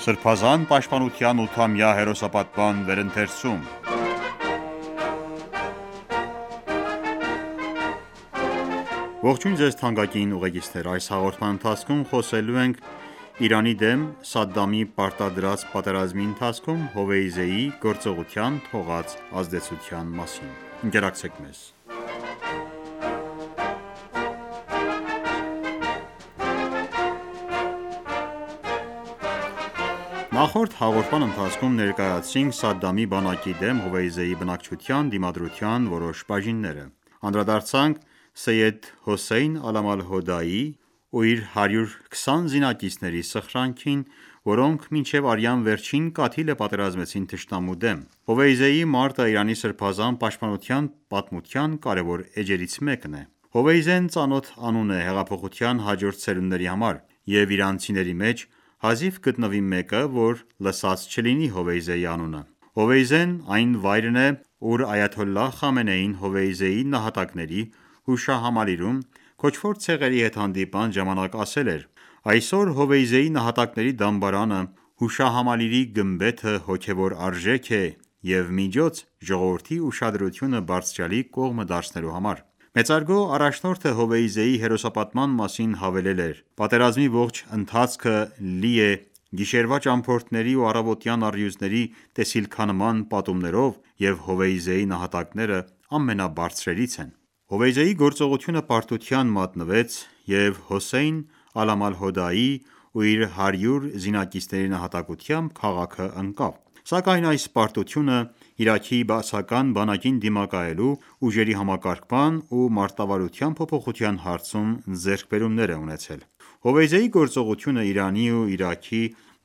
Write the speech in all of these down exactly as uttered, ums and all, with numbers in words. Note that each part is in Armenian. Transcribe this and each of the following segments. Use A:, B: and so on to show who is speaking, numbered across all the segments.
A: Սրբազան պաշտպանության ութամյա հերոսապատման վերընթերցում Ողջույն ձեզ թանկագին ուղեկիցներ: Այս հաղորդման ընթացքում խոսելու ենք Իրանի դեմ Սադամի պարտադրած պատերազմի ընթացքում Հովեյզեի գործողության թողած ազդեցության մասին: Ընկերակցեք մեզ: Նախորդ հաղորդման ընթացքում ներկայացրինք Սադամի բանակի դեմ Հովեյզեի բնակչության դիմադրության որոշ բաժինները: Անդրադարձանք Սեյեդ Հոսեյն Ալամ-Ալ-Հոդայի ու իր հարյուր քսան զինակիցների սխրանքին, որոնք մինչև արյան վերջին կաթիլը պատերազմեցին թշնամու դեմ: Հովեյզեի մարտը Իրանի սրբազան պաշտպանության պատմության կարևոր էջերից մեկն է: Հովեյզեն ծանոթ անուն է հեղափոխության հաջորդ սերունդների համար և իրանցիների մեջ հազիվ կգտնվի մեկը, որ լսած չլինի Հովեյզեի անունը: Հովեյզեն այն վայրն է, ուր Այաթոլլահ Խամենեին Հովեյզեի նահատակների հուշահամալիրում քոչվոր ցեղերի հետ հանդիպման ժամանակ ասել էր. «Այսօր Հովեյզեի նահատակների դամբարանը հուշահամալիրի գմբեթը հոգևոր արժեք է և միջոց ժողովրդի ուշադրությունը բարձրյալի կողմը դարձնելու համար»: Մեծարգո առաջնորդը Հովեյզեի հերոսապատման մասին հավելել էր. «Պատերազմի ողջ ընթացքը լի է գիշերվա ճամփորդների ու առավոտյան առյուծների տեսիլքանման պատումներով և Հովեյզեի նահատակները ամենաբարձրերից են»: Հովեյզեի գործողությունը պարտության մատնվեց և Հոսեյն Ալամ-Ալ-Հոդայի ու իր հարյուր զինակիցների նահատակությամբ քաղաքը ընկավ: Սակայն այս պարտությունը Իրաքի բաասական բանակին դիմակայելու ուժերի համակարգման ու մարտավարության փոփոխության հարցում ձեռքբերումներ է ունեցել: Հովեյզեի գործողությունը Իրանի ու Իրաքի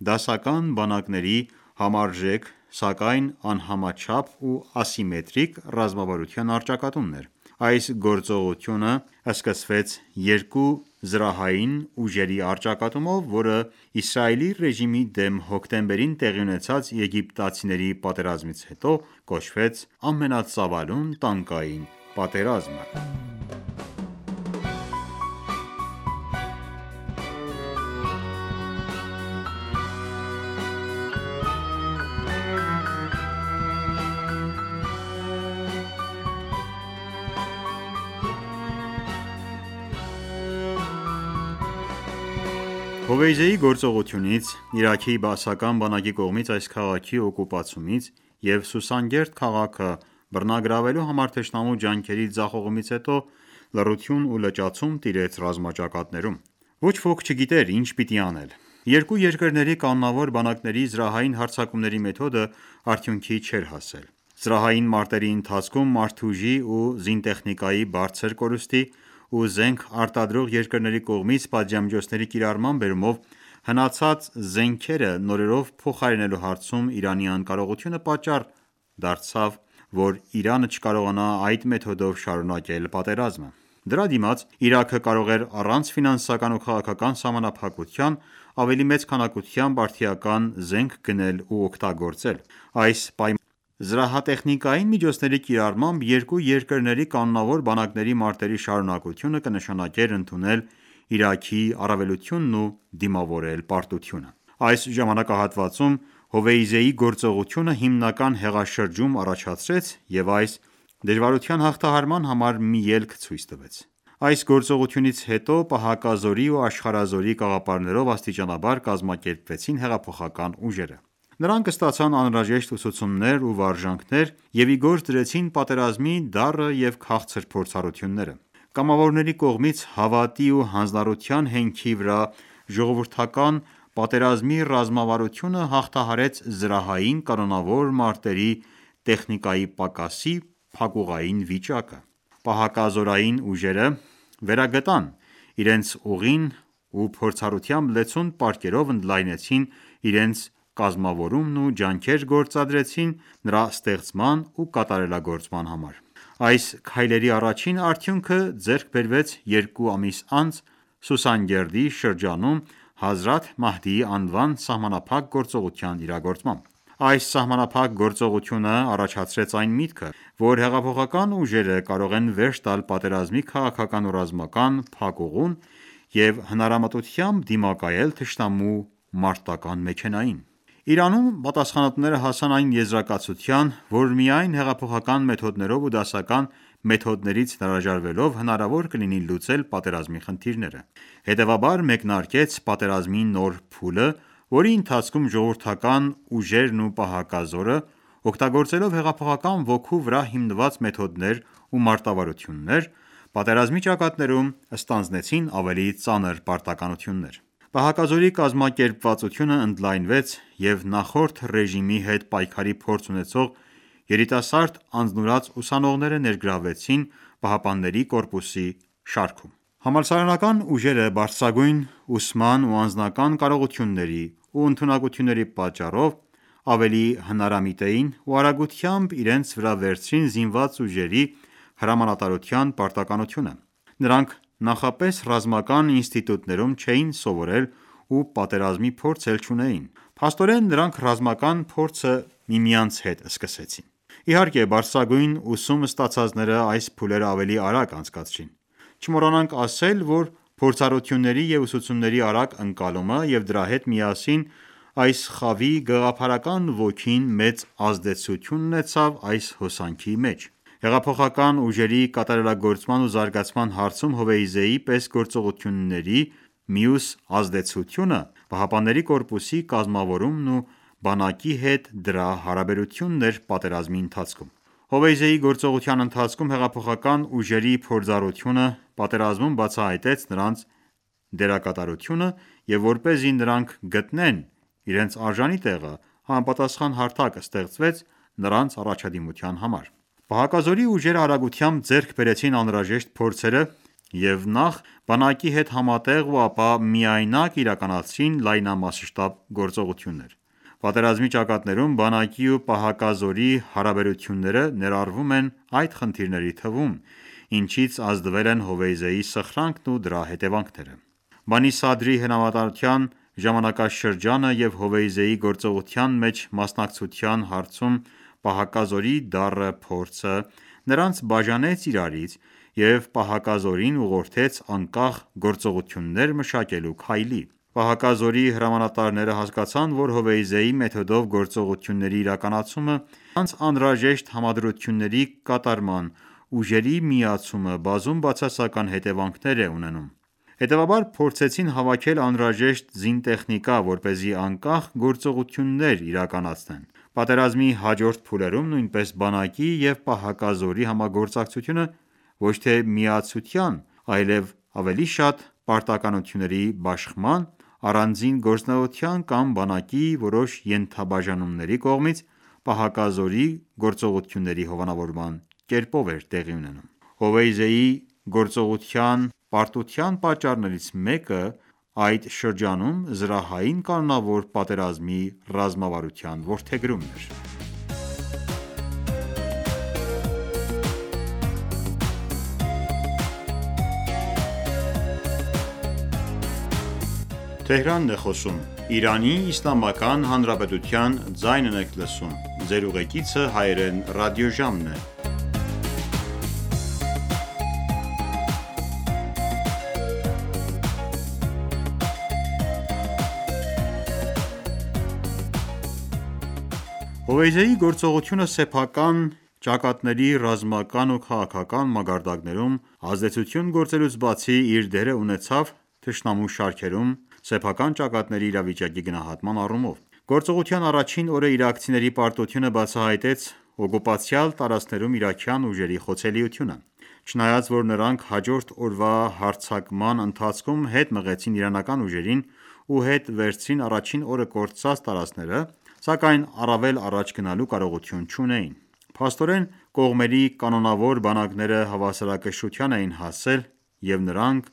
A: դասական բանակների համարժեք, սակայն անհամաչափ ու ասիմետրիկ ռազմավարության առճակատումն էր: Այս գործողությունը սկսվեց երկու զրահային ուժերի առճակատումով, որը Իսրայելի ռեժիմի դեմ հոկտեմբերին տեղի ունեցած եգիպտացիների պատերազմից հետո կոչվեց ամենածավալուն տանկային պատերազմը: Հովեյզեի գործողությունից, Իրաքի բաասական բանակի կողմից այս քաղաքի օկուպացումից և Սուսանգերդ քաղաքը բռնագրավելու համար թշնամու ջանքերի ձախողումից հետո լռություն ու լճացում տիրեց ռազմաճակատներում: Ոչ ոք չգիտեր ինչ պիտի անել: Երկու երկրների կանոնավոր բանակների զրահային հարձակումների մեթոդը արդյունքի չէր հասել: Զրահային մարտերի ընթացքում մարդուժի ու զինտեխնիկայի բարձր կորուստի ու զենք արտադրող երկրների կողմից պատժամիջոցների կիրառման բերումով հնացած զենքերը նորերով փոխարինելու հարցում Իրանի անկարողությունը պատճառ դարձավ, որ Իրանը չկարողանա այդ մեթոդով շարունակել պատերազմը: Դրա դիմաց Իրաքը կարող էր առանց ֆինանսական ու քաղաքական սահմանափակության ավելի մեծ քանակությամբ արդիական զենք գնել ու օգտագործել: Այս պայմաններում զրահատեխնիկային միջոցների կիրառմամբ երկու երկրների կանոնավոր բանակների մարտերի շարունակությունը կնշանակեր ընդունել Իրաքի առավելությունն ու դիմավորել պարտությունը: Այս ժամանակահատվածում Հովեյզեի գործողությունը հիմնական հեղաշրջում առաջացրեց և այս դժվարության հաղթահարման համար մի ելք ցույց տվեց: Այս գործողությունից հետո պահակազորի ու աշխարհազորի կաղապարներով աստիճանաբար կազմակերպվեցին հեղափոխական ուժերը: Նրանք ստացան անհրաժեշտ ուսուցումներ ու վարժանքներ և ի գործ դրեցին պատերազմի դառը և քաղցր փորձառությունները: Կամավորների կողմից հավատի ու հանձնառության հենքի վրա ժողովրդական պատերազմի ռազմավարությունը հաղթահարեց զրահային կանոնավոր մարտերի տեխնիկայի պակասի փակուղային վիճակը: Պահակազորային ուժերը վերագտան իրենց ուղին ու փորձառությամբ լեցուն պարկերով ընդլայնեցին իրենց կազմավորումն ու ջանքեր գործադրեցին նրա ստեղծման ու կատարելագործման համար: Այս քայլերի առաջին արդյունքը ձեռք բերվեց երկու ամիս անց Սուսանգերդի շրջանում Հազրաթ Մահդիի անվան սահմանափակ գործողության իրագործմամբ: Այս սահմանափակ գործողությունը առաջացրեց այն միտքը, որ հեղափոխական ուժերը կարող են վերջ տալ պատերազմի քաղաքական ու ռազմական փակուղուն և հնարամտությամբ դիմակայել թշնամու մարտական մեքենային: Իրանում պատասխանատուները հասան այն եզրակացության, որ միայն հեղափոխական մեթոդներով ու դասական մեթոդներից հրաժարվելով հնարավոր կլինի լուծել պատերազմի խնդիրները: Հետևաբար մեկնարկեց պատերազմի նոր փուլը, որի ընթացքում ժողովրդական ուժերն ու պահակազորը, օգտագործելով հեղափոխական ոգու վրա հիմնված մեթոդներ ու մարտավարություններ, պատերազմի ճակատներում ստանձնեցին ավելի ծանր պարտականություններ: Պահակազորի կազմակերպվածությունը ընդլայնվեց և նախորդ ռեժիմի հետ պայքարի փորձ ունեցող երիտասարդ անձնուրաց ուսանողները ներգրավվեցին ԻՀՊԿ-ի շարքում: Համալսարանական ուժերը բարձրագույն ուսման ու անձնական կարողությունների ու ընդունակությունների պատճառով ավելի հնարամիտ էին ու արագությամբ իրենց վրա վերցրին զինված ուժերի հրամանատարության պարտականությունը: Նրանք նախապես ռազմական ինստիտուտներում չէին սովորել ու պատերազմի փորձ էլ չունեին: Փաստորեն նրանք ռազմական փորձը միմյանց հետ սկսեցին: Իհարկե բարձրագույն ուսում ստացածները այս փուլերը ավելի արագ անցկացրին: Չմոռանանք ասել, որ փորձառությունների և ուսուցումների արագ ընկալումը և դրա հետ միասին այս խավի գաղափարական ոգին մեծ ազդեցություն ունեցավ այս հոսանքի մեջ: Հեղափոխական ուժերի կատարելագործման ու զարգացման հարցում Հովեյզեի պես գործողությունների մյուս ազդեցությունը ԻՀՊԿ-ի կազմավորումն ու բանակի հետ դրա հարաբերությունն էր պատերազմի ընթացքում: Հովեյզեի գործողության ընթացքում հեղափոխական ուժերի փորձառությունը պատերազմում բացահայտեց նրանց դերակատարությունը և որպեսզի նրանք գտնեն իրենց արժանի տեղը, համապատասխան հարթակ ստեղծվեց նրանց առաջադիմության համար: Պահակազորի ուժերը արագությամբ ձեռք բերեցին անհրաժեշտ փորձերը և նախ բանակի հետ համատեղ ու ապա միայնակ իրականացրին լայնամասշտաբ գործողություններ: Պատերազմի ճակատներում բանակի ու պահակազորի հարաբերությունները ներառվում են այդ խնդիրների թվում, ինչից ազդվել են Հովեյզեի սխրանքն ու դրա հետևանքները: Բանի Սադրի հրամանատարության ժամանակաշրջանը և Հովեյզեի գործողության մեջ մասնակցության հարցում պահակազորի դառը փորձը նրանց բաժանեց իրարից և պահակազորին ուղղորդեց անկախ գործողություններ մշակելու քայլի: Պահակազորի հրամանատարները հասկացան, որ Հովեյզեի մեթոդով գործողությունների իրականացումը նրանց անհրաժեշտ համադրությունների կատարման ուժերի միացումը բազում բացասական հետևանքներ է ունենում: Հետևաբար փորձեցին հավաքել անհրաժեշտ զինտեխնիկա, որպեսզի անկախ գործողություններ իրականացնեն: Պատերազմի հաջորդ փուլերում նույնպես բանակի և պահակազորի համագործակցությունը ոչ թե միացության, այլև ավելի շատ պարտականությունների բաշխման, առանձին գործունեության կամ բանակի որոշ ենթաբաժանումների կողմից պահակազորի գործողությունների հովանավորման կերպով էր տեղի ունենում: Հովեյզեի գործողության պարտության պատճառներից մեկը այդ շրջանում զրահային կանոնավոր պատերազմի ռազմավարության որդեգրումն էր: Հովեյզեի գործողությունը սեփական ճակատների ռազմական ու քաղաքական մակարդակներում ազդեցություն գործելուց բացի իր դերը ունեցավ թշնամու շարքերում սեփական ճակատների իրավիճակի գնահատման առումով: Գործողության առաջին օրը իրաքցիների պարտությունը բացահայտեց օկուպացիալ տարածքներում իրաքյան ուժերի խոցելիությունը: Չնայած որ նրանք հաջորդ օրվա հարձակման ընթացքում հետ մղեցին իրանական ուժերին ու հետ վերցրին առաջին օրը կորցրած տարածքները, սակայն առավել առաջ գնալու կարողություն չունեին: Փաստորեն կողմերի կանոնավոր բանակները հավասարակշռության էին հասել և նրանք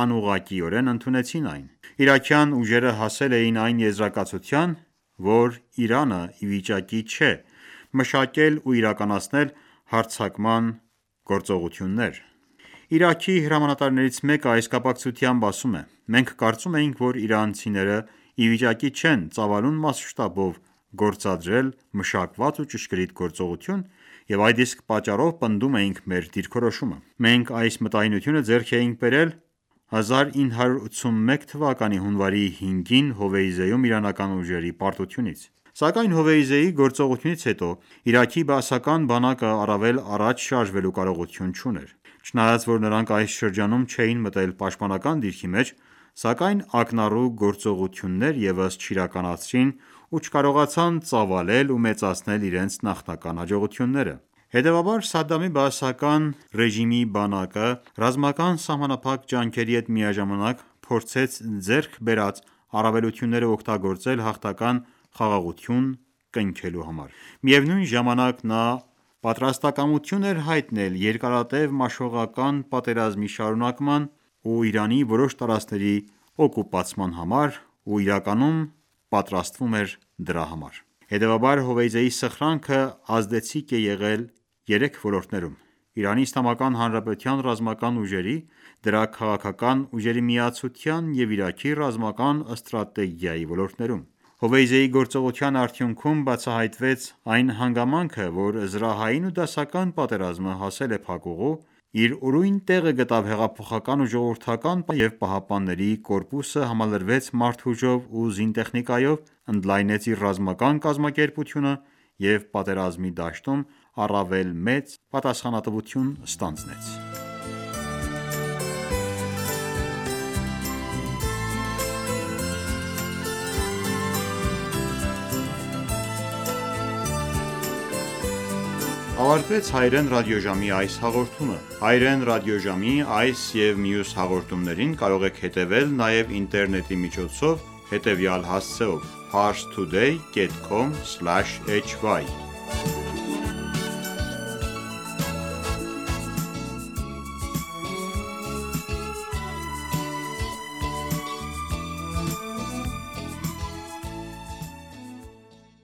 A: անուղղակիորեն ընդունեցին այն: Իրաքյան ուժերը հասել էին այն եզրակացության, որ Իրանը ի վիճակի չէ մշակել ու իրականացնել հարձակման գործողություններ: Իրաքի հրամանատարներից մեկը այս կապակցությամբ ասում է. «Մենք կարծում էինք, որ իրանցիները ի վիճակի չեն ծավալուն մասշտաբով գործադրել մշակված ու ճշգրիտ գործողություն և այդ իսկ պատճառով պնդում էինք մեր դիրքորոշումը: Մենք այս մտայնությունը ձեռք էինք բերել հազար ինը հարյուր ութսունմեկ թվականի հունվարի հինգին Հովեյզեում իրանական ուժերի պարտությունից: Սակայն Հովեյզեի գործողությունից հետո Իրաքի բաասական բանակը առավել առաջ շարժվելու կարողություն չուներ: Չնայած որ նրանք այս շրջանում չէին մտել պաշտպանական դիրքի մեջ, սակայն ակնառու գործողություններ ևս չիրականացրին ու չկարողացան ծավալել ու մեծացնել իրենց նախնական հաջողությունները: Հետևաբար Սադամի բաասական ռեժիմի բանակը ռազմական սահմանափակ ջանքերի հետ միաժամանակ փորձեց ձեռք բերած առավելությունները օգտագործել հաղթական խաղաղություն կնքելու համար: Միևնույն ժամանակ նա պատրաստակամություն էր հայտնել երկարատև մաշողական պատերազմի շարունակման ու Իրանի որոշ տարածքների օկուպացման համար ու իրականում պատրաստվում էր դրա համար: Հետևաբար Հովեյզեի սխրանքը ազդեցիկ է եղել երեք ոլորտներում՝ Իրանի Իսլամական Հանրապետության ռազմական ուժերի, դրա քաղաքական ուժերի միացության և Իրաքի ռազմական ստրատեգիայի ոլորտներում: Հովեյզեի գործողության արդյունքում բացահայտվեց այն հանգամանքը, որ զրահային ու դասական պատերազմը հասել է փակուղու, իր ուրույն տեղը գտավ հեղափոխական ու ժողովրդական պատերազմը և ԻՀՊԿ-ը համալրվեց մարդուժով ու զինտեխնիկայով, ընդլայնեց իր ռազմական կազմակերպությունը և պատերազմի դաշտում առավել մեծ պատասխանատվություն ստանձնեց: Ավարտվեց հայրեն ռադիոժամի այս հաղորդումը: Հայրեն ռադիոժամի այս և մյուս հաղորդումներին կարող եք հետևել նաև ինտերնետի միջոցով հետևյալ հասցեով՝ parstoday.com/hy